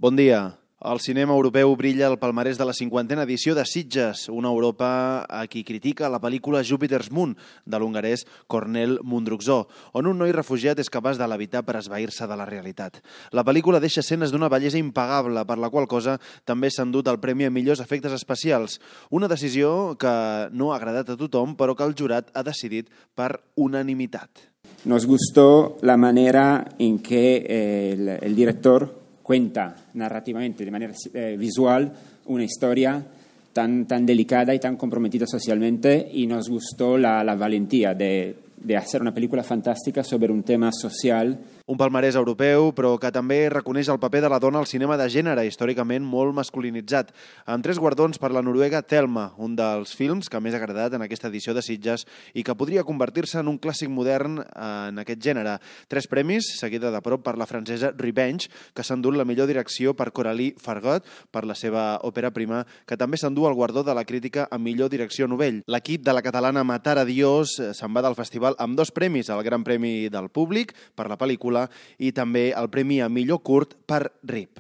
Bon dia. El cinema europeu brilla al palmarès de la 50a edició de Sitges, una Europa a qui critica la pel·lícula Jupiter's Moon, de l'hongarès Kornél Mundruczó, on un noi refugiat és capaç de levitar per esvair-se de la realitat. La pel·lícula deixa escenes d'una bellesa impagable, per la qual cosa també s'ha endut el premi a millors efectes especials. Una decisió que no ha agradat a tothom, però que el jurat ha decidit per unanimitat. Nos gustó la manera en que el director cuenta narrativamente, de manera visual, una historia tan delicada y tan comprometida socialmente, y nos gustó la valentía de hacer una película fantástica sobre un tema social. Un palmarès europeu, però que també reconeix el paper de la dona al cinema de gènere, històricament molt masculinitzat, amb 3 guardons per la noruega Thelma, un dels films que més ha agradat en aquesta edició de Sitges i que podria convertir-se en un clàssic modern en aquest gènere. 3 premis, seguida de prop per la francesa Revenge, que s'ha endut la millor direcció per Coralie Fargot, per la seva òpera prima, que també s'endú el guardó de la crítica a millor direcció novell. L'equip de la catalana Matar a Dios se'n va del festival amb 2 premis, el Gran Premi del Públic per la pel·lícula i també el premi a millor curt per RIP.